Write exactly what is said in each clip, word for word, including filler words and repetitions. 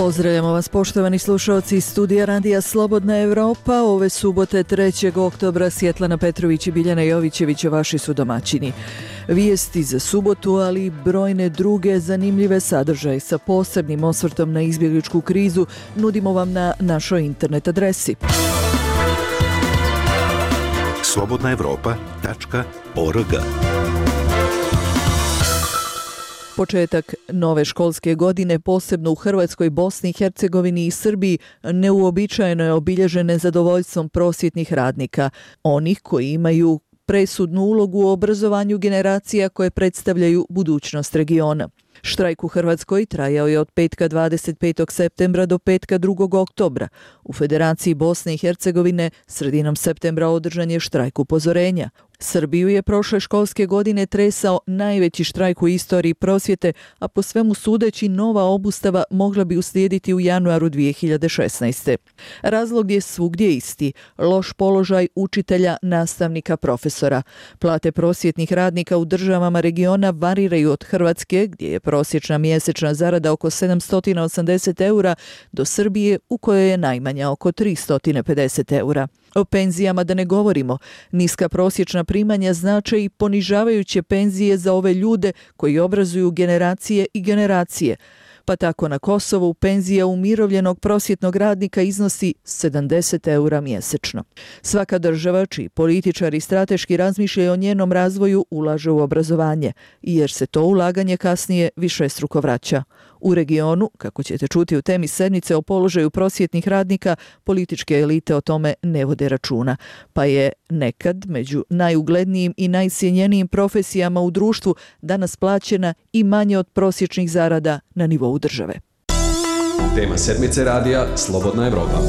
Pozdravljamo vas poštovani slušalci iz studija Radija Slobodna Evropa. Ove subote trećeg oktobra Svjetlana Petrović i Biljana Jovićević vaši su domaćini. Vijesti za subotu, ali i brojne druge zanimljive sadržaje sa posebnim osvrtom na izbjegličku krizu nudimo vam na našoj internet adresi slobodna evropa tačka org. Početak nove školske godine, posebno u Hrvatskoj, Bosni i Hercegovini i Srbiji, neuobičajeno je obilježen nezadovoljstvom prosvjetnih radnika, onih koji imaju presudnu ulogu u obrazovanju generacija koje predstavljaju budućnost regiona. Štrajk u Hrvatskoj trajao je od petka dvadeset petog septembra do petka drugog oktobra. U Federaciji Bosne i Hercegovine sredinom septembra održan je štrajk upozorenja. Srbiju je prošle školske godine tresao najveći štrajk u istoriji prosvjete, a po svemu sudeći nova obustava mogla bi uslijediti u januaru dvije hiljade šesnaeste. Razlog je svugdje isti, loš položaj učitelja, nastavnika, profesora. Plate prosvjetnih radnika u državama regiona variraju od Hrvatske, gdje je prosječna mjesečna zarada oko sedamsto osamdeset eura, do Srbije u kojoj je najmanja oko tristo pedeset eura. O penzijama da ne govorimo. Niska prosječna primanja znače i ponižavajuće penzije za ove ljude koji obrazuju generacije i generacije. Pa tako na Kosovu penzija umirovljenog prosvjetnog radnika iznosi sedamdeset eura mjesečno. Svaka država čiji političari strateški razmišljaju o njenom razvoju ulaže u obrazovanje, jer se to ulaganje kasnije višestruko vraća. U regionu, kako ćete čuti u temi sedmice o položaju prosvjetnih radnika, političke elite o tome ne vode računa, pa je nekad među najuglednijim i najcijenjenijim profesijama u društvu danas plaćena i manje od prosječnih zarada na nivou države. Tema sedmice radija Slobodna Evropa.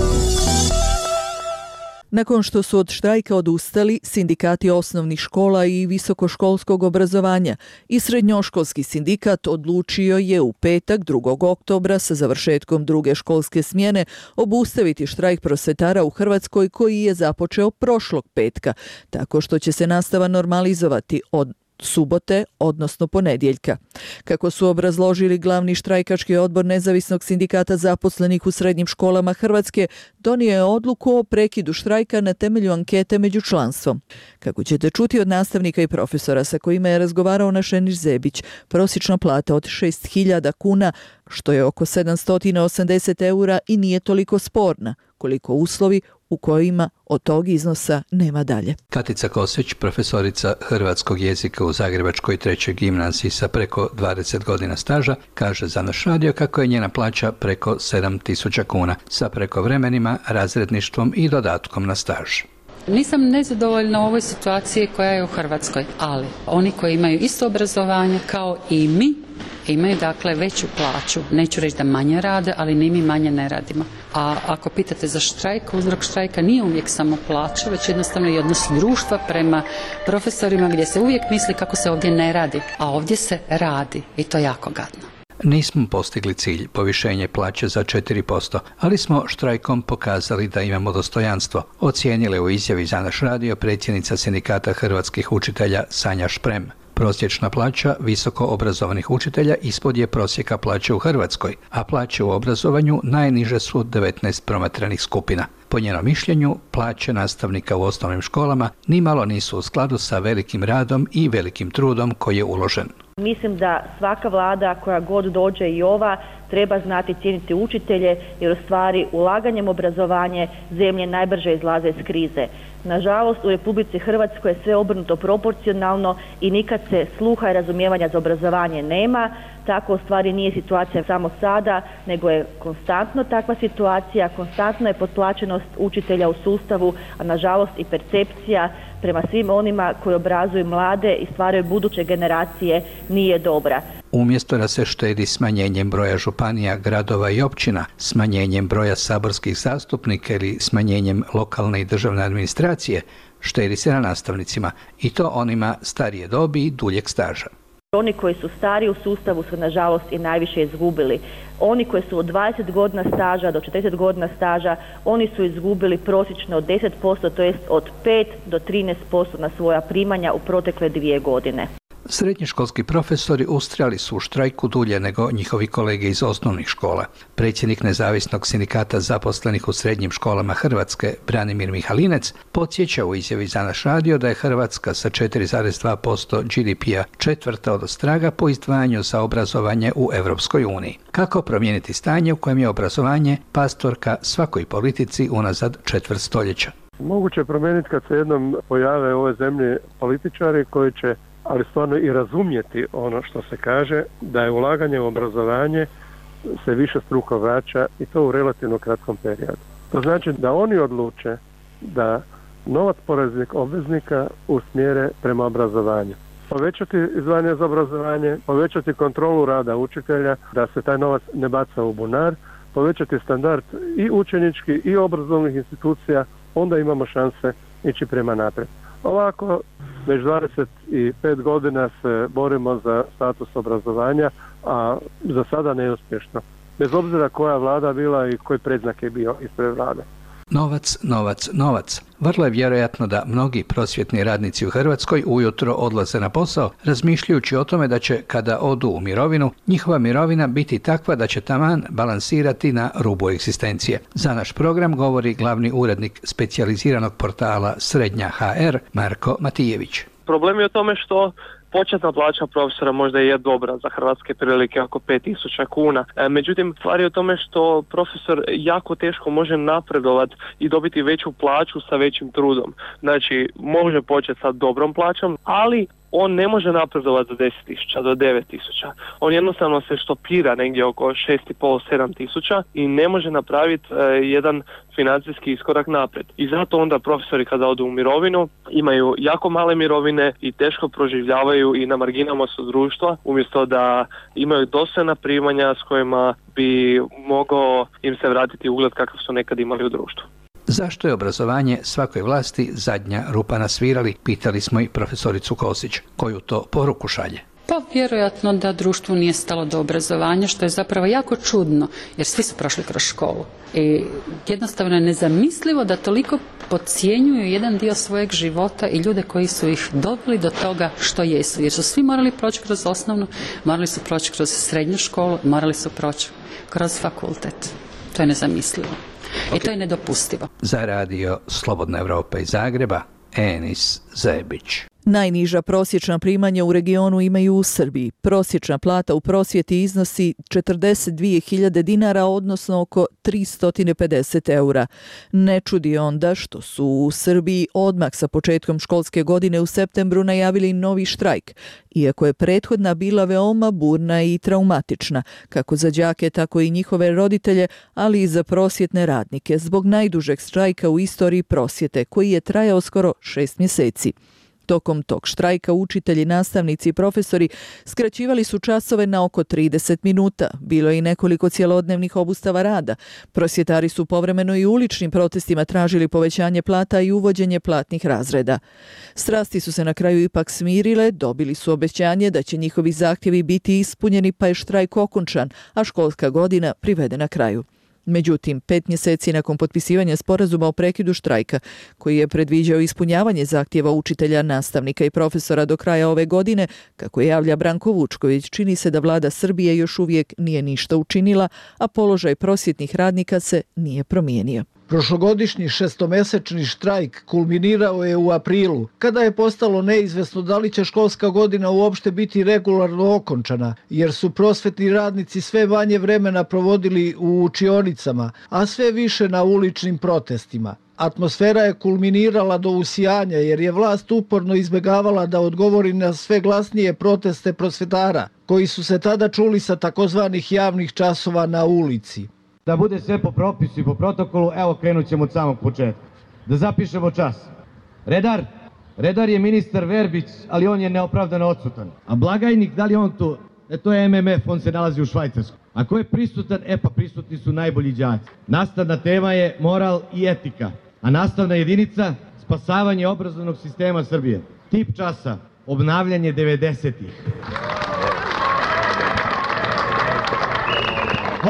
Nakon što su od štrajka odustali sindikati osnovnih škola i visokoškolskog obrazovanja i srednjoškolski sindikat odlučio je u petak drugog oktobra sa završetkom druge školske smjene obustaviti štrajk prosvjetara u Hrvatskoj koji je započeo prošlog petka, tako što će se nastava normalizovati od subote, odnosno ponedjeljka. Kako su obrazložili glavni štrajkački odbor Nezavisnog sindikata zaposlenih u srednjim školama Hrvatske, donio je odluku o prekidu štrajka na temelju ankete među članstvom. Kako ćete čuti od nastavnika i profesora sa kojima je razgovarao Našeniš Zebić, prosječna plata od šest hiljada kuna, što je oko sedamsto osamdeset eura, i nije toliko sporna koliko uslovi u kojima od tog iznosa nema dalje. Katica Kosić, profesorica hrvatskog jezika u Zagrebačkoj trećoj gimnaziji sa preko dvadeset godina staža, kaže za naš radio kako je njena plaća preko sedam tisuća kuna sa prekovremenima, razredništvom i dodatkom na staž. Nisam nezadovoljna u ovoj situaciji koja je u Hrvatskoj, ali oni koji imaju isto obrazovanje kao i mi imaju dakle veću plaću. Neću reći da manje rade, ali ni mi manje ne radimo. A ako pitate za štrajk, uzrok štrajka nije uvijek samo plaća, već jednostavno i odnos društva prema profesorima gdje se uvijek misli kako se ovdje ne radi, a ovdje se radi i to jako gadno. Nismo postigli cilj, povišenje plaće za četiri posto, ali smo štrajkom pokazali da imamo dostojanstvo, ocijenile u izjavi za naš radio predsjednica sindikata hrvatskih učitelja Sanja Šprem. Prosječna plaća visoko obrazovanih učitelja ispod je prosjeka plaće u Hrvatskoj, a plaće u obrazovanju najniže su od devetnaest promatranih skupina. Po njenom mišljenju, plaće nastavnika u osnovnim školama nimalo nisu u skladu sa velikim radom i velikim trudom koji je uložen. Mislim da svaka vlada koja god dođe i ova treba znati cijeniti učitelje, jer u stvari ulaganjem obrazovanje zemlje najbrže izlaze iz krize. Nažalost, u Republici Hrvatskoj je sve obrnuto proporcionalno i nikad se sluha i razumijevanja za obrazovanje nema. Tako u stvari nije situacija samo sada, nego je konstantno takva situacija, konstantno je potplaćenost učitelja u sustavu, a nažalost i percepcija prema svim onima koji obrazuju mlade i stvaraju buduće generacije nije dobra. Umjesto da se štedi smanjenjem broja županija, gradova i općina, smanjenjem broja saborskih zastupnika ili smanjenjem lokalne i državne administracije, štedi se na nastavnicima, i to onima starije dobi i duljeg staža. Oni koji su stari u sustavu su nažalost i najviše izgubili. Oni koji su od dvadeset godina staža do četrdeset godina staža, oni su izgubili prosječno od deset posto, to jest od pet do trinaest posto na svoja primanja u protekle dvije godine. Srednjoškolski profesori ustrajali su u štrajku dulje nego njihovi kolege iz osnovnih škola. Predsjednik Nezavisnog sindikata zaposlenih u srednjim školama Hrvatske, Branimir Mihalinec, podsjeća u izjavi za naš radio da je Hrvatska sa četiri zarez dva posto G D P-a četvrta od ostraga po izdvajanju za obrazovanje u Europskoj uniji. Kako promijeniti stanje u kojem je obrazovanje pastorka svakoj politici unazad četvrt stoljeća? Moguće je promijeniti kad se jednom pojave u ovoj zemlji političari koji će, ali stvarno i razumjeti ono što se kaže, da je ulaganje u obrazovanje se više struko vraća i to u relativno kratkom periodu. To znači da oni odluče da novac poreznih obveznika usmjere prema obrazovanju. Povećati izdvajanje za obrazovanje, povećati kontrolu rada učitelja, da se taj novac ne baca u bunar, povećati standard i učenički i obrazovnih institucija, onda imamo šanse ići prema naprijed. Ovako, već dvadeset pet godina se borimo za status obrazovanja, a za sada neuspješno. Bez obzira koja vlada bila i koji predznak je bio ispred vlade. Novac, novac, novac. Vrlo je vjerojatno da mnogi prosvjetni radnici u Hrvatskoj ujutro odlaze na posao, razmišljajući o tome da će, kada odu u mirovinu, njihova mirovina biti takva da će taman balansirati na rubu egzistencije. Za naš program govori glavni urednik specijaliziranog portala Srednja H R, Marko Matijević. Problem je u tome što početna plaća profesora možda je dobra za hrvatske prilike, oko pet tisuća kuna. E, međutim, stvar je u tome što profesor jako teško može napredovati i dobiti veću plaću sa većim trudom. Znači, može početi sa dobrom plaćom, ali on ne može napredovati za deset tisuća do devet tisuća. On jednostavno se štopira negdje oko šest i pol do sedam tisuća i ne može napraviti e, jedan financijski iskorak naprijed. I zato onda profesori kada odu u mirovinu imaju jako male mirovine i teško proživljavaju i na marginama su društva, umjesto da imaju dostojna primanja s kojima bi mogao im se vratiti ugled kakav su nekad imali u društvu. Zašto je obrazovanje svakoj vlasti zadnja rupa na svirali, pitali smo i profesoricu Kosić. Koju to poruku šalje? Pa vjerojatno da društvu nije stalo do obrazovanja, što je zapravo jako čudno, jer svi su prošli kroz školu. I jednostavno je nezamislivo da toliko podcjenjuju jedan dio svojeg života i ljude koji su ih doveli do toga što jesu. Jer su svi morali proći kroz osnovnu, morali su proći kroz srednju školu, morali su proći kroz fakultet. To je nezamislivo. Okay. I to je nedopustivo. Za radio Slobodna Evropa iz Zagreba, Enis Zebić. Najniža prosječna primanja u regionu imaju u Srbiji. Prosječna plata u prosvjeti iznosi četrdeset dvije hiljade dinara, odnosno oko tristo pedeset eura. Ne čudi onda što su u Srbiji odmah sa početkom školske godine u septembru najavili novi štrajk, iako je prethodna bila veoma burna i traumatična, kako za đake, tako i njihove roditelje, ali i za prosvjetne radnike, zbog najdužeg štrajka u istoriji prosvjete, koji je trajao skoro šest mjeseci. Tokom tog štrajka učitelji, nastavnici i profesori skraćivali su časove na oko trideset minuta. Bilo je i nekoliko cjelodnevnih obustava rada. Prosvjetari su povremeno i uličnim protestima tražili povećanje plata i uvođenje platnih razreda. Strasti su se na kraju ipak smirile, dobili su obećanje da će njihovi zahtjevi biti ispunjeni, pa je štrajk okončan, a školska godina privedena kraju. Međutim, pet mjeseci nakon potpisivanja sporazuma o prekidu štrajka, koji je predviđao ispunjavanje zahtjeva učitelja, nastavnika i profesora do kraja ove godine, kako javlja Branko Vučković, čini se da vlada Srbije još uvijek nije ništa učinila, a položaj prosvjetnih radnika se nije promijenio. Prošlogodišnji šestomjesečni štrajk kulminirao je u aprilu, kada je postalo neizvesno da li će školska godina uopšte biti regularno okončana, jer su prosvjetni radnici sve manje vremena provodili u učionicama, a sve više na uličnim protestima. Atmosfera je kulminirala do usijanja, jer je vlast uporno izbjegavala da odgovori na sve glasnije proteste prosvjetara, koji su se tada čuli sa takozvanih javnih časova na ulici. Da bude sve po propisu i po protokolu, evo krenut ćemo od samog početka. Da zapišemo čas. Redar, redar je ministar Verbić, ali on je neopravdano odsutan. A blagajnik, da li on tu? E to je M M F, on se nalazi u Švajcarskoj. A ko je prisutan? E pa prisutni su najbolji đaci. Nastavna tema je moral i etika. A nastavna jedinica, spasavanje obrazovnog sistema Srbije. Tip časa, obnavljanje devedesetih.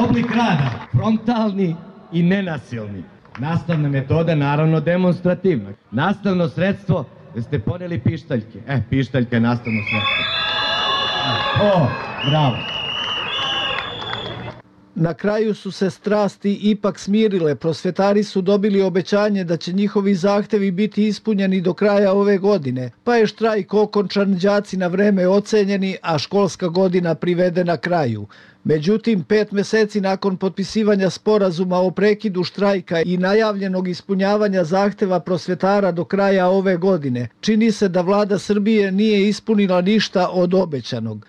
Oblik rada, frontalni i nenasilni. Nastavna metoda, naravno demonstrativna. Nastavno sredstvo, da ste poneli pištaljke. E, pištaljka je nastavno sredstvo. O, bravo. Na kraju su se strasti ipak smirile. Prosvetari su dobili obećanje da će njihovi zahtevi biti ispunjeni do kraja ove godine, pa je štrajk okončan, đaci na vreme ocenjeni, a školska godina privedena kraju. Međutim, pet meseci nakon potpisivanja sporazuma o prekidu štrajka i najavljenog ispunjavanja zahteva prosvetara do kraja ove godine, čini se da vlada Srbije nije ispunila ništa od obećanog.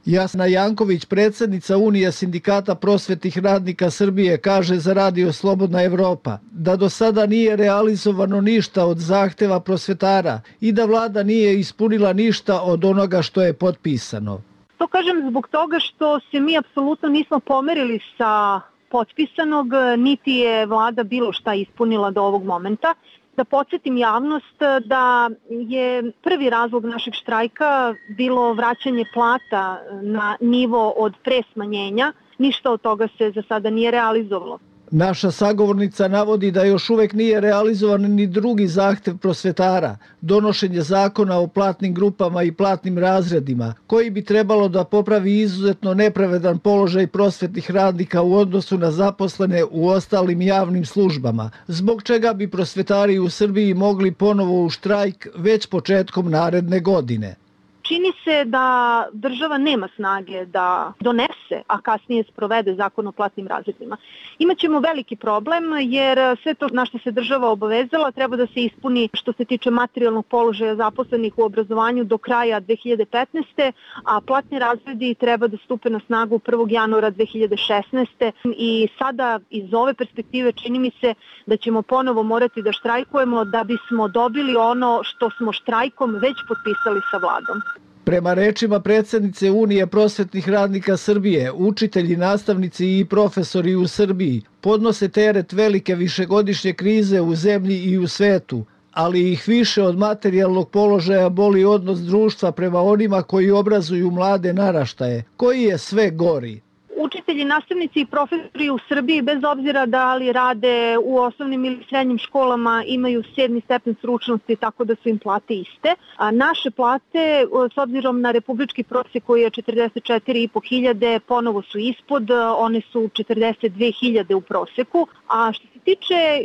Jasna Janković, predsjednica Unije sindikata prosvetnih radnika Srbije, kaže za Radio Slobodna Evropa da do sada nije realizovano ništa od zahteva prosvetara i da vlada nije ispunila ništa od onoga što je potpisano. To kažem zbog toga što se mi apsolutno nismo pomerili sa potpisanog, niti je vlada bilo šta ispunila do ovog momenta. Da podsjetim javnost da je prvi razlog našeg štrajka bilo vraćanje plata na nivo od pre smanjenja. Ništa od toga se za sada nije realizovalo. Naša sagovornica navodi da još uvek nije realizovan ni drugi zahtev prosvetara, donošenje zakona o platnim grupama i platnim razredima, koji bi trebalo da popravi izuzetno nepravedan položaj prosvetnih radnika u odnosu na zaposlene u ostalim javnim službama, zbog čega bi prosvetari u Srbiji mogli ponovo u štrajk već početkom naredne godine. Čini se da država nema snage da donese, a kasnije sprovede zakon o platnim razredima. Imaćemo veliki problem jer sve to na što se država obavezala treba da se ispuni što se tiče materijalnog položaja zaposlenih u obrazovanju do kraja dve hiljade petnaeste. a platni razredi treba da stupe na snagu prvog januara dve hiljade šesnaeste. i sada iz ove perspektive čini mi se da ćemo ponovo morati da štrajkujemo da bismo dobili ono što smo štrajkom već potpisali sa vladom. Prema rečima predsjednice Unije prosvetnih radnika Srbije, učitelji, nastavnici i profesori u Srbiji podnose teret velike višegodišnje krize u zemlji i u svetu, ali ih više od materijalnog položaja boli odnos društva prema onima koji obrazuju mlade naraštaje, koji je sve gori. Učitelji, nastavnici i profesori u Srbiji, bez obzira da li rade u osnovnim ili srednjim školama, imaju sedmi stepen stručnosti, tako da su im plate iste. A naše plate, s obzirom na republički prosjek koji je četrdeset četiri i po hiljade, ponovo su ispod, one su četrdeset dve hiljade u prosjeku. A što se tiče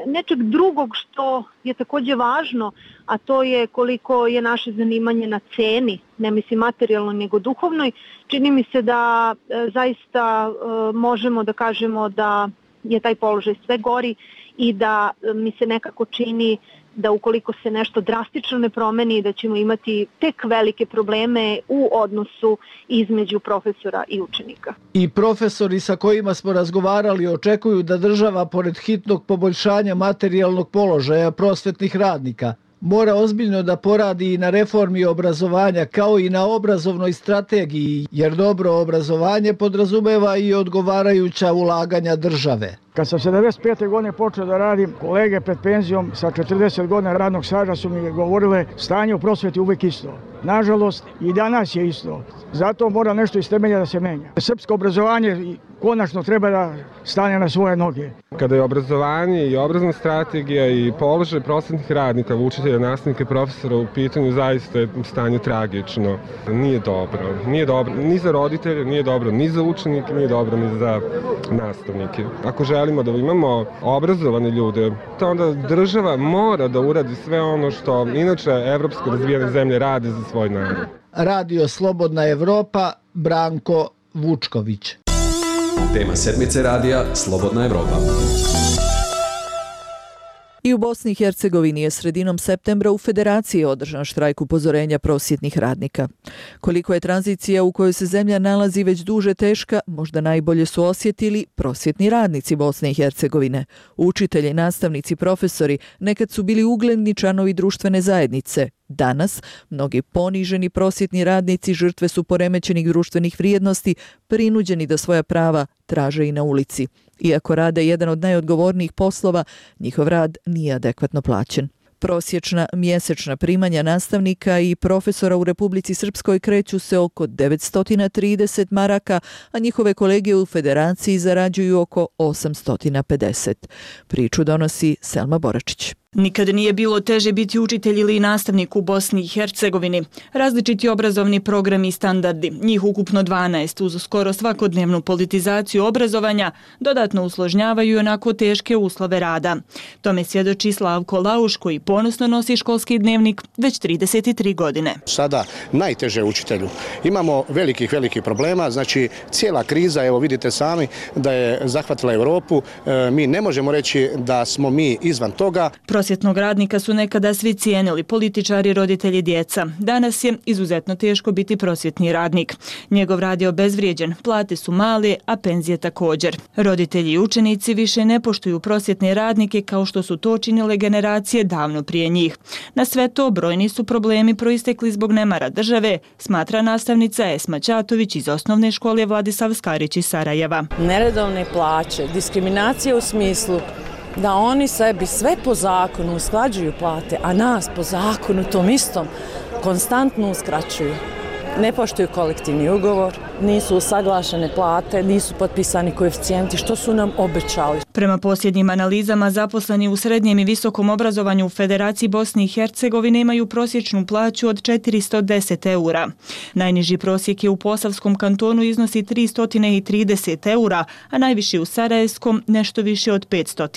nečeg drugog što je takođe važno, a to je koliko je naše zanimanje na ceni, ne mislim materijalno nego duhovnoj, čini mi se da e, zaista e, možemo da kažemo da je taj položaj sve gori i da e, mi se nekako čini da ukoliko se nešto drastično ne promeni, da ćemo imati tek velike probleme u odnosu između profesora i učenika. I profesori sa kojima smo razgovarali očekuju da država, pored hitnog poboljšanja materijalnog položaja prosvetnih radnika, mora ozbiljno da poradi i na reformi obrazovanja kao i na obrazovnoj strategiji, jer dobro obrazovanje podrazumeva i odgovarajuća ulaganja države. Kad sam sedamdeset pete godine počeo da radim, kolege pred penzijom sa četrdeset godina radnog staža su mi govorile stanje u prosveti uvijek isto. Nažalost, i danas je isto. Zato mora nešto iz temelja da se menja. Srpsko obrazovanje konačno treba da stane na svoje noge. Kada je obrazovanje i obrazovna strategija i položaj prosvetnih radnika, učitelja, nastavnika i profesora u pitanju, zaista je stanje tragično. Nije dobro. Nije dobro ni za roditelje, nije dobro ni za učenike, nije dobro ni za nastavnike. Ako želimo da imamo obrazovane ljude, to onda država mora da uradi sve ono što inače evropske razvijene zemlje rade za svoj narod. Radio Slobodna Evropa, Branko Vučković. Tema sedmice radija Slobodna Evropa. I u Bosni i Hercegovini je sredinom septembra u Federaciji održan štrajk upozorenja prosvjetnih radnika. Koliko je tranzicija u kojoj se zemlja nalazi već duže teška, možda najbolje su osjetili prosvjetni radnici Bosne i Hercegovine. Učitelji, nastavnici, profesori nekad su bili ugledni članovi društvene zajednice. Danas, mnogi poniženi prosvjetni radnici žrtve su poremećenih društvenih vrijednosti, prinuđeni da svoja prava traže i na ulici. Iako rade jedan od najodgovornijih poslova, njihov rad nije adekvatno plaćen. Prosječna mjesečna primanja nastavnika i profesora u Republici Srpskoj kreću se oko devetsto trideset maraka, a njihove kolege u Federaciji zarađuju oko osamsto pedeset. Priču donosi Selma Boračić. Nikad nije bilo teže biti učitelj ili nastavnik u Bosni i Hercegovini. Različiti obrazovni programi i standardi, njih ukupno dvanaest, uz skoro svakodnevnu politizaciju obrazovanja, dodatno usložnjavaju onako teške uslove rada. Tome svjedoči Slavko Lauš, koji ponosno nosi školski dnevnik već trideset tri godine. Sada najteže učitelju. Imamo velikih, velikih problema, znači cijela kriza, evo vidite sami, da je zahvatila Europu. E, mi ne možemo reći da smo mi izvan toga. Prosvjetnog radnika su nekada svi cijenili, političari, roditelji, djeca. Danas je izuzetno teško biti prosvjetni radnik. Njegov rad je obezvrijeđen, plate su male, a penzije također. Roditelji i učenici više ne poštuju prosvjetne radnike kao što su to činile generacije davno prije njih. Na sve to brojni su problemi proistekli zbog nemara države, smatra nastavnica Esma Ćatović iz osnovne škole Vladislav Skarić iz Sarajeva. Neredovne plaće, diskriminacija u smislu da oni sebi sve po zakonu usklađuju plate, a nas po zakonu tom istom konstantno uskraćuju. Ne poštuju kolektivni ugovor, nisu usaglašene plate, nisu potpisani koeficijenti, što su nam obećali. Prema posljednjim analizama, zaposleni u srednjem i visokom obrazovanju u Federaciji Bosne i Hercegovine imaju prosječnu plaću od četiristo deset eura. Najniži prosjek je u Posavskom kantonu iznosi tristo trideset eura, a najviši u Sarajevskom nešto više od petsto.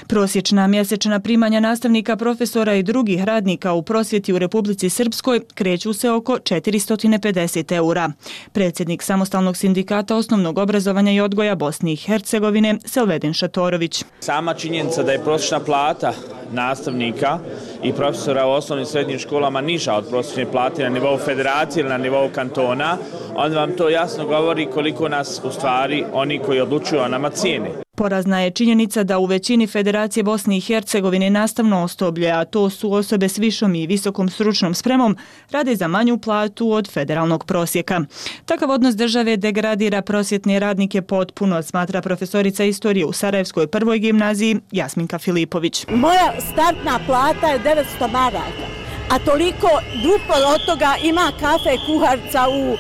Prosječna mjesečna primanja nastavnika, profesora i drugih radnika u prosvjeti u Republici Srpskoj kreću se oko četiristo pedeset eura. Predsjednik Samostalnog sindikata osnovnog obrazovanja i odgoja Bosne i Hercegovine, Selvedin Šatorović. Sama činjenica da je prosječna plata nastavnika i profesora u osnovnim i srednjim školama niža od prosječne plate na nivou federacije ili na nivou kantona, onda vam to jasno govori koliko nas u stvari oni koji odlučuju o nama cijene. Porazna je činjenica da u većini Federacije Bosne i Hercegovine nastavno osoblje, a to su osobe s višom i visokom stručnom spremom, rade za manju platu od federalnog prosjeka. Takav odnos države degradira prosvjetne radnike potpuno, smatra profesorica istorije u Sarajevskoj prvoj gimnaziji Jasminka Filipović. Moja startna plata je devetsto maraka, a toliko duplo od toga ima kafe kuharca u e,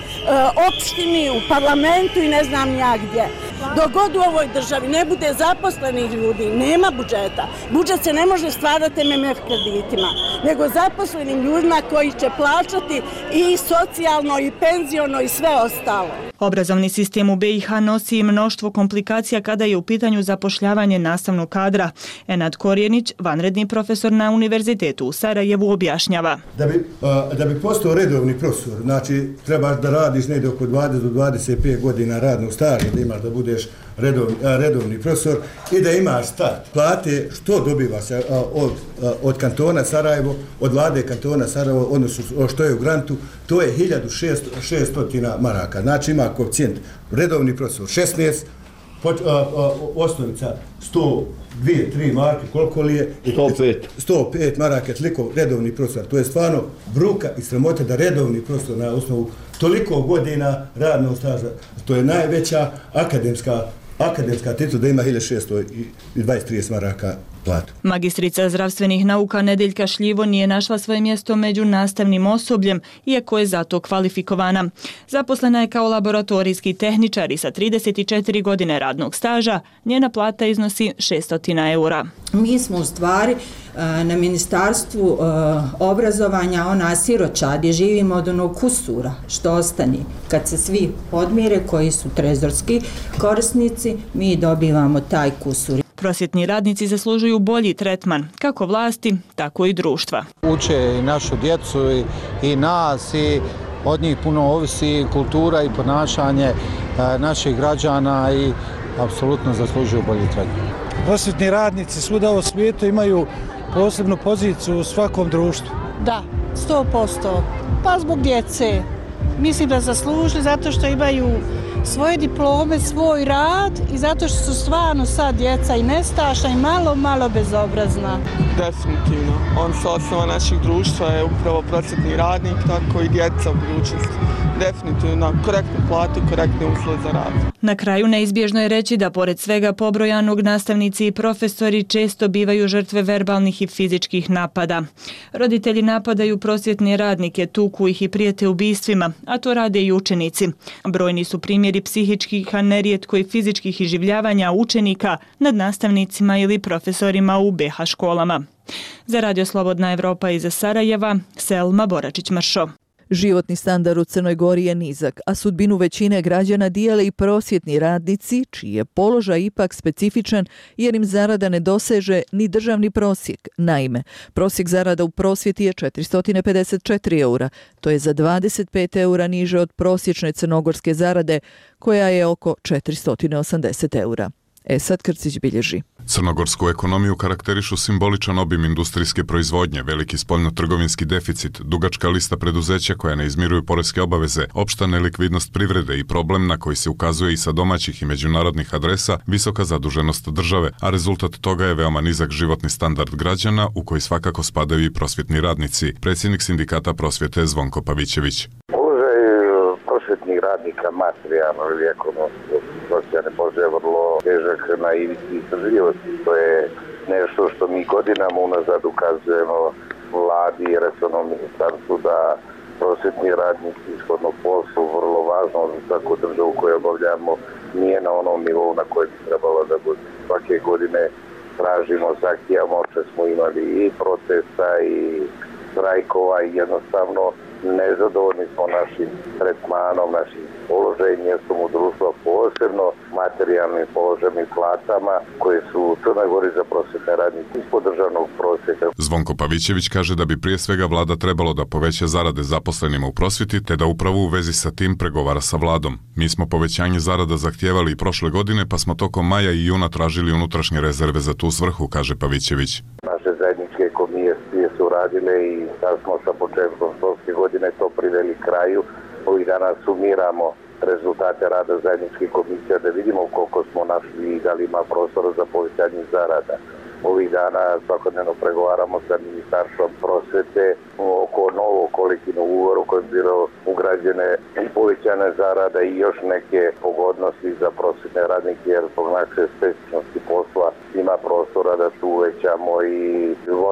opštini, u parlamentu i ne znam ja gdje. Dok god u ovoj državi ne bude zaposlenih ljudi, nema budžeta. Budžet se ne može stvarati em em ef kreditima, nego zaposlenim ljudima koji će plaćati i socijalno i penziono i sve ostalo. Obrazovni sistem u be i ha nosi mnoštvo komplikacija kada je u pitanju zapošljavanje nastavnog kadra. Enad Korjenić, vanredni profesor na Univerzitetu u Sarajevu, objašnjava. Da bi, da bi postao redovni profesor, znači trebaš da radiš negdje oko dvadeset do dvadeset pet godina radnog staža, da imaš da budeš redovni, redovni profesor i da imaš start. Plate što dobiva se od, od kantona Sarajevo, od vlade kantona Sarajevo, odnosno što je u grantu, to je hiljadu šesto maraka. Znači ima koeficijent redovni profesor šesnaest, osnovica sto dva tri marke, koliko li je? sto pet. sto pet maraka, toliko redovni profesor. To je stvarno bruka i sramota da redovni profesor na osnovu toliko godina radnog staža, to je najveća akademska akademska titul da ima hiljadu šesto dvadeset trideset maraka platu. Magistrica zdravstvenih nauka Nedeljka Šljivo nije našla svoje mjesto među nastavnim osobljem, iako je zato kvalifikovana. Zaposlena je kao laboratorijski tehničar i sa trideset četiri godine radnog staža, njena plata iznosi šesto eura. Mi smo u stvari na Ministarstvu obrazovanja ona siročad gdje živimo od onog kusura što ostane. Kad se svi podmire koji su trezorski korisnici, mi dobivamo taj kusur. Prosvjetni radnici zaslužuju bolji tretman, kako vlasti, tako i društva. Uče i našu djecu i, i nas i od njih puno ovisi kultura i ponašanje e, naših građana i apsolutno zaslužuju bolji tretman. Prosvjetni radnici svuda u svijetu imaju posebnu poziciju u svakom društvu. Da, sto posto. Pa zbog djece. Mislim da zaslužili zato što imaju svoje diplome, svoj rad i zato što su stvarno sad djeca i nestašna i malo, malo bezobrazna. Definitivno. On su osnova naših društva je upravo prosvjetni radnik, tako i djeca u budućnosti. Definitivno korektnu platu i korektne uslove za rad. Na kraju neizbježno je reći da pored svega pobrojanog nastavnici i profesori često bivaju žrtve verbalnih i fizičkih napada. Roditelji napadaju prosvjetne radnike, tuku ih i prijete ubistvima, a to rade i učenici. Brojni su primjeri psihičkih, a nerijetko i fizičkih iživljavanja učenika nad nastavnicima ili profesorima u be ha školama. Za Radio Slobodna Evropa iz Sarajeva, Selma Boračić-Mršo. Životni standard u Crnoj Gori je nizak, a sudbinu većine građana dijele i prosvjetni radnici, čiji je položaj ipak specifičan jer im zarada ne doseže ni državni prosjek. Naime, prosjek zarada u prosvjeti je četiristo pedeset četiri eura, to je za dvadeset pet eura niže od prosječne crnogorske zarade, koja je oko četiristo osamdeset eura. Esad Krcić bilježi. Crnogorsku ekonomiju karakterišu simboličan obim industrijske proizvodnje, veliki spoljno-trgovinski deficit, dugačka lista preduzeća koja ne izmiruju poreske obaveze, opšta nelikvidnost privrede i problem na koji se ukazuje i sa domaćih i međunarodnih adresa, visoka zaduženost države, a rezultat toga je veoma nizak životni standard građana u koji svakako spadaju i prosvjetni radnici. Predsjednik sindikata prosvjete Zvonko Pavićević. Prosvjetnih radnika materijalno ili ekonomsko socijalne položaje vrlo težak na ivici izdržljivosti. To je nešto što mi godinama unazad ukazujemo vladi i resornom ministarstvu da prosvjetni radnici shodno poslu vrlo važno za svaku državu koju obavljamo nije na onom nivou na kojem bi trebalo da bude. Svake godine tražimo, zahtijamo, što smo imali i protesta i strajkova i jednostavno nezadovoljni smo našim tretmanom, našim položajem, mjestom u društvu, posebno materijalnim položajem i platama koje su u Crnoj Gori za prosvjetne radnike ispod državnog prosjeka. Zvonko Pavićević kaže da bi prije svega vlada trebalo da poveća zarade zaposlenima u prosvjeti, te da upravo u vezi sa tim pregovara sa vladom. Mi smo povećanje zarada zahtijevali i prošle godine, pa smo tokom maja i juna tražili unutrašnje rezerve za tu svrhu, kaže Pavićević. Naše zajedničke komisije su radile i sad smo sa početkom školske godine to priveli kraju. Ovih dana sumiramo rezultate rada zajedničkih komisija da vidimo koliko smo našli i da li ima prostora za povećanje zarada. Ovih dana svakodnevno pregovaramo sa ministarstvom prosvete oko novog kolektivnog ugovora u kojem je bilo ugrađene povećane zarada i još neke pogodnosti za prosvetne radnike jer zbog naše specifičnosti posla ima prostora da tu uvećamo i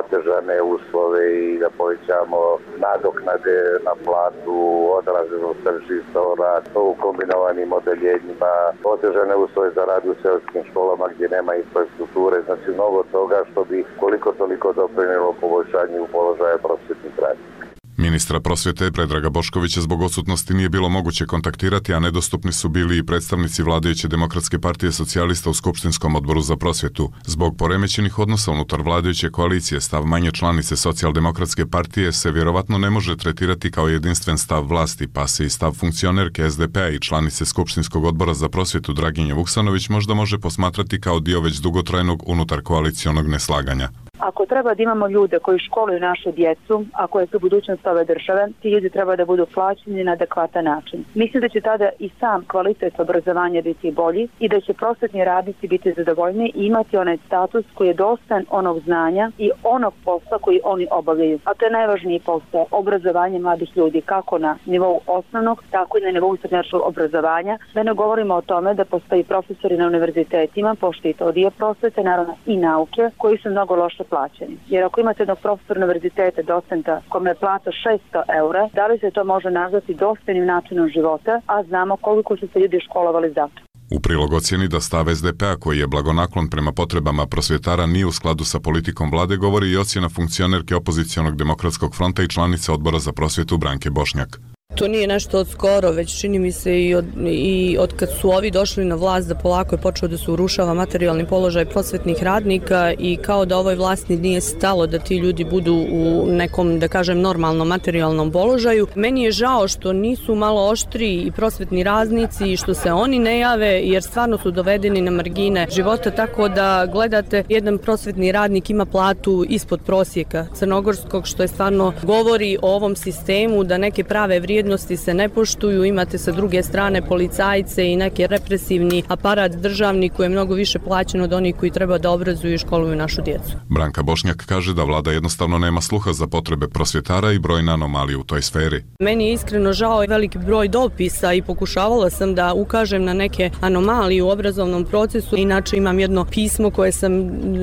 otežane uslove i da povećamo nadoknade na platu, odraženost tržišta o radu u kombinovanim odeljenjima, otežane uslove za rad u seoskim školama gdje nema infrastrukture, znači mnogo toga što bi koliko toliko doprinijelo poboljšanju položaja prosvjetnih radnika. Ministra prosvjete Predraga Boškovića zbog odsutnosti nije bilo moguće kontaktirati, a nedostupni su bili i predstavnici vladajuće Demokratske partije socijalista u Skupštinskom odboru za prosvjetu. Zbog poremećenih odnosa unutar vladajuće koalicije, stav manje članice Socijaldemokratske partije se vjerovatno ne može tretirati kao jedinstven stav vlasti, pa se i stav funkcionerke es de pe a i članice Skupštinskog odbora za prosvjetu Draginje Vuksanović možda može posmatrati kao dio već dugotrajnog unutar koalicionog neslaganja. Ako treba da imamo ljude koji školuju našu djecu, a koje su budućnost ove države, ti ljudi treba da budu plaćeni na adekvatan način. Mislim da će tada i sam kvalitet obrazovanja biti bolji i da će prosvetni radnici biti zadovoljni i imati onaj status koji je dostan onog znanja i onog posla koji oni obavljaju. A to je najvažniji posao, obrazovanje mladih ljudi, kako na nivou osnovnog, tako i na nivou srednjoškolskog obrazovanja. Da ne govorimo o tome da postoji profesori na univerzitetima, pošto i to dio prosvete, naravno i nauke, koji su mnogo loše plaćeni. Jer ako imate jednog profesora univerziteta, docenta, kome je plata šesto eura, da li se to može nazvati dostojnim načinom života, a znamo koliko su se ljudi školovali za to. U prilog ocjeni da stav es de pe a koji je blagonaklon prema potrebama prosvjetara nije u skladu sa politikom vlade govori i ocjena funkcionerke opozicionog Demokratskog fronta i članice odbora za prosvjetu Branke Bošnjak. To nije nešto od skoro, već čini mi se i od, i od kad su ovi došli na vlast da polako je počeo da se urušava materijalni položaj prosvetnih radnika i kao da ovoj vlasti nije stalo da ti ljudi budu u nekom, da kažem, normalnom materijalnom položaju. Meni je žao što nisu malo oštri i prosvetni radnici i što se oni ne jave jer stvarno su dovedeni na margine života, tako da gledate jedan prosvetni radnik ima platu ispod prosjeka crnogorskog, što je stvarno govori o ovom sistemu da neke prave vrijednosti se ne poštuju, imate sa druge strane policajce i neki represivni aparat državni koji je mnogo više plaćen od onih koji treba da obrazuju i školuju našu djecu. Branka Bošnjak kaže da vlada jednostavno nema sluha za potrebe prosvjetara i brojne anomalije u toj sferi. Meni je iskreno žao i veliki broj dopisa i pokušavala sam da ukažem na neke anomalije u obrazovnom procesu. Inače imam jedno pismo koje sam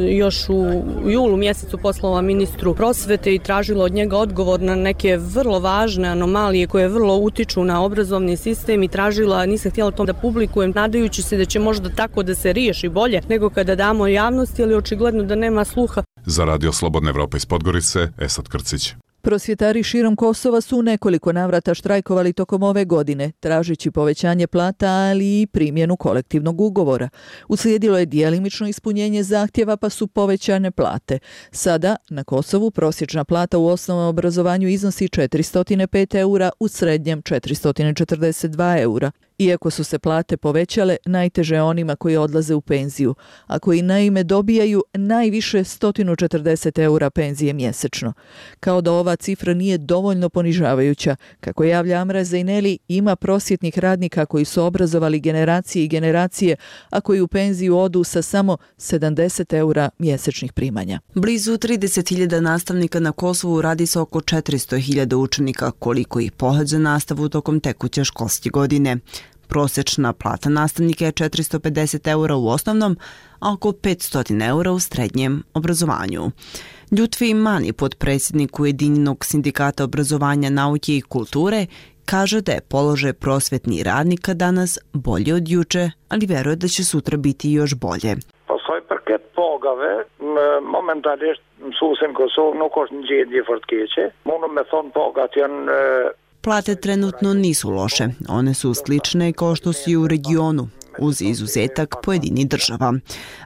još u julu mjesecu poslala ministru prosvete i tražila od njega odgovor na neke vrlo važne anomalije koje vrlo utiču na obrazovni sistem i tražila, nisam htjela to da publikujem, nadajući se da će možda tako da se riješi bolje nego kada damo javnosti, ali očigledno da nema sluha. Za Radio Slobodna Evropa iz Podgorice, Esad Krcić. Prosvjetari širom Kosova su u nekoliko navrata štrajkovali tokom ove godine, tražeći povećanje plata, ali i primjenu kolektivnog ugovora. Uslijedilo je djelimično ispunjenje zahtjeva, pa su povećane plate. Sada, na Kosovu, prosječna plata u osnovnom obrazovanju iznosi četiristo pet eura, u srednjem četiristo četrdeset dva eura. Iako su se plate povećale, najteže je onima koji odlaze u penziju, a koji naime dobijaju najviše sto četrdeset eura penzije mjesečno. Kao da ova cifra nije dovoljno ponižavajuća, kako javlja Amra Zejneli, ima prosvjetnih radnika koji su obrazovali generacije i generacije, a koji u penziju odu sa samo sedamdeset eura mjesečnih primanja. Blizu trideset hiljada nastavnika na Kosovu radi se oko četiristo hiljada učenika, koliko ih pohađa nastavu tokom tekuće školske godine. Prosječna plata nastavnika je četiristo pedeset eura u osnovnom, a oko petsto eura u srednjem obrazovanju. Ljutfi Mani, potpredsjednik Ujedinjenog sindikata obrazovanja, nauke i kulture, kaže da je položaj prosvjetnih radnika danas bolje od juče, ali vjeruje da će sutra biti još bolje. Pasoj përket pagave, momentalisht mësuesin në Kosovë nuk është në gjendje fort keqe. Mundu me thon pagat janë Plate trenutno nisu loše, one su slične kao što su i u regionu, uz izuzetak pojedinih država.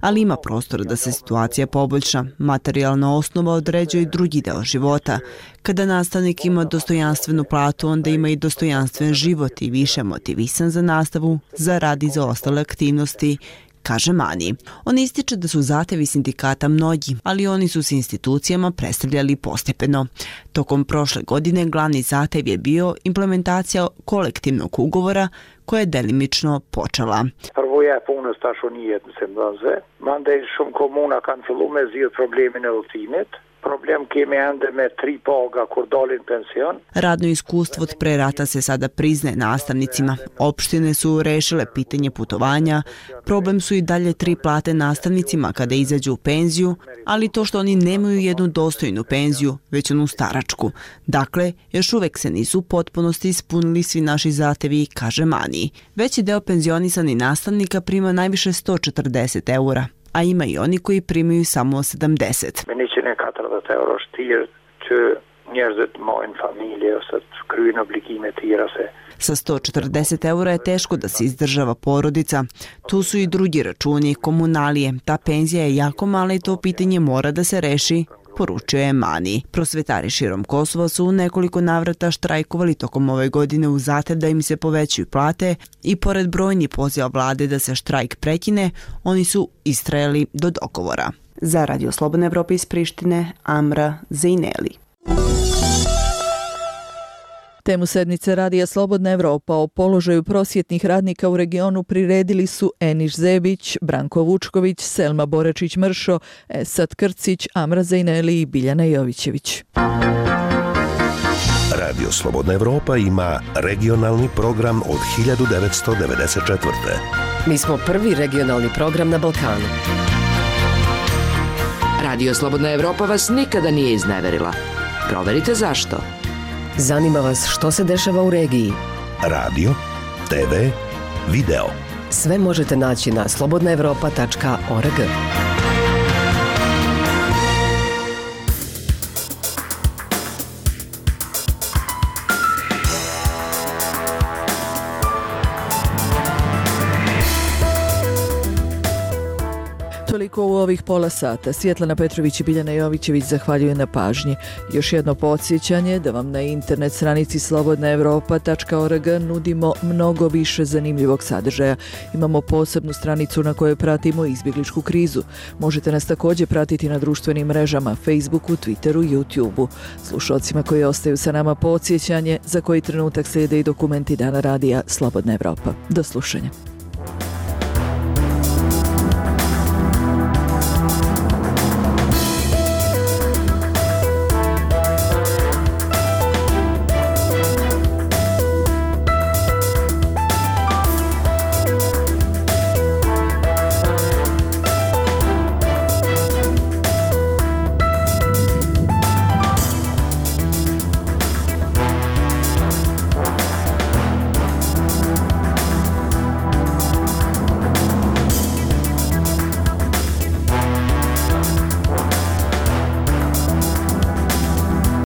Ali ima prostora da se situacija poboljša. Materijalna osnova određuje i drugi deo života. Kada nastavnik ima dostojanstvenu platu, onda ima i dostojanstven život i više motivisan za nastavu, za rad i za ostale aktivnosti, kaže Mani. On ističe da su zahtevi sindikata mnogi, ali oni su s institucijama predstavljali postepeno. Tokom prošle godine glavni zahtev je bio implementacija kolektivnog ugovora koja je delimično počela. Përvoja e punës tashun jetë në Sendonze, mandej shumë komuna kanë filluar me zgjidh problemin e udhëtimit. Problem kemi ende me tri paga kur dalin pension. Radno iskustvo od pre rata se sada priznaje nastavnicima. Opštine su rešile pitanje putovanja, problem su i dalje tri plate nastavnicima kada izađu u penziju, ali to što oni nemaju jednu dostojnu penziju, već onu staračku. Dakle, još uvek se nisu u potpunosti ispunili svi naši zahtevi, kaže Mani. Veći deo penzionisanih nastavnika prima najviše sto četrdeset eura, a ima i oni koji primaju samo sedamdeset. njëqind e katërdhjetë euro shtirë që njerëzit marrin familje ose të kryejnë obligime të tjera se Sa sto četrdeset eura je teško da se izdržava porodica. Tu su i drugi računi, komunalije. Ta penzija je jako mala i to pitanje mora da se reši, poručio je Mani. Prosvetari širom Kosova su u nekoliko navrata štrajkovali tokom ove godine u zahtev da im se povećaju plate i pored brojnih poziva vlade da se štrajk prekine, oni su istrajali do dogovora. Za Radio Slobodna Evropa iz Prištine, Amra Zejneli. Temu sednice Radija Slobodna Evropa o položaju prosvjetnih radnika u regionu priredili su Eniš Zebić, Branko Vučković, Selma Borečić-Mršo, Esad Krcić, Amra Zejneli i Biljana Jovićević. Radio Slobodna Evropa ima regionalni program od hiljadu devetsto devedeset četvrte. Mi smo prvi regionalni program na Balkanu. Radio Slobodna Evropa vas nikada nije izneverila. Proverite zašto. Zanima vas što se dešava u regiji. Radio, te ve, video. Sve možete naći na slobodna evropa tačka org. Toliko u ovih pola sata. Svjetlana Petrović i Biljana Jovićević zahvaljuju na pažnji. Još jedno podsjećanje da vam na internet stranici slobodna evropa tačka org nudimo mnogo više zanimljivog sadržaja. Imamo posebnu stranicu na kojoj pratimo izbjegličku krizu. Možete nas također pratiti na društvenim mrežama Facebooku, Twitteru, YouTubeu. Slušalcima koji ostaju sa nama podsjećanje za koji trenutak slijede i dokumenti Dana radija Slobodna Evropa. Do slušanja.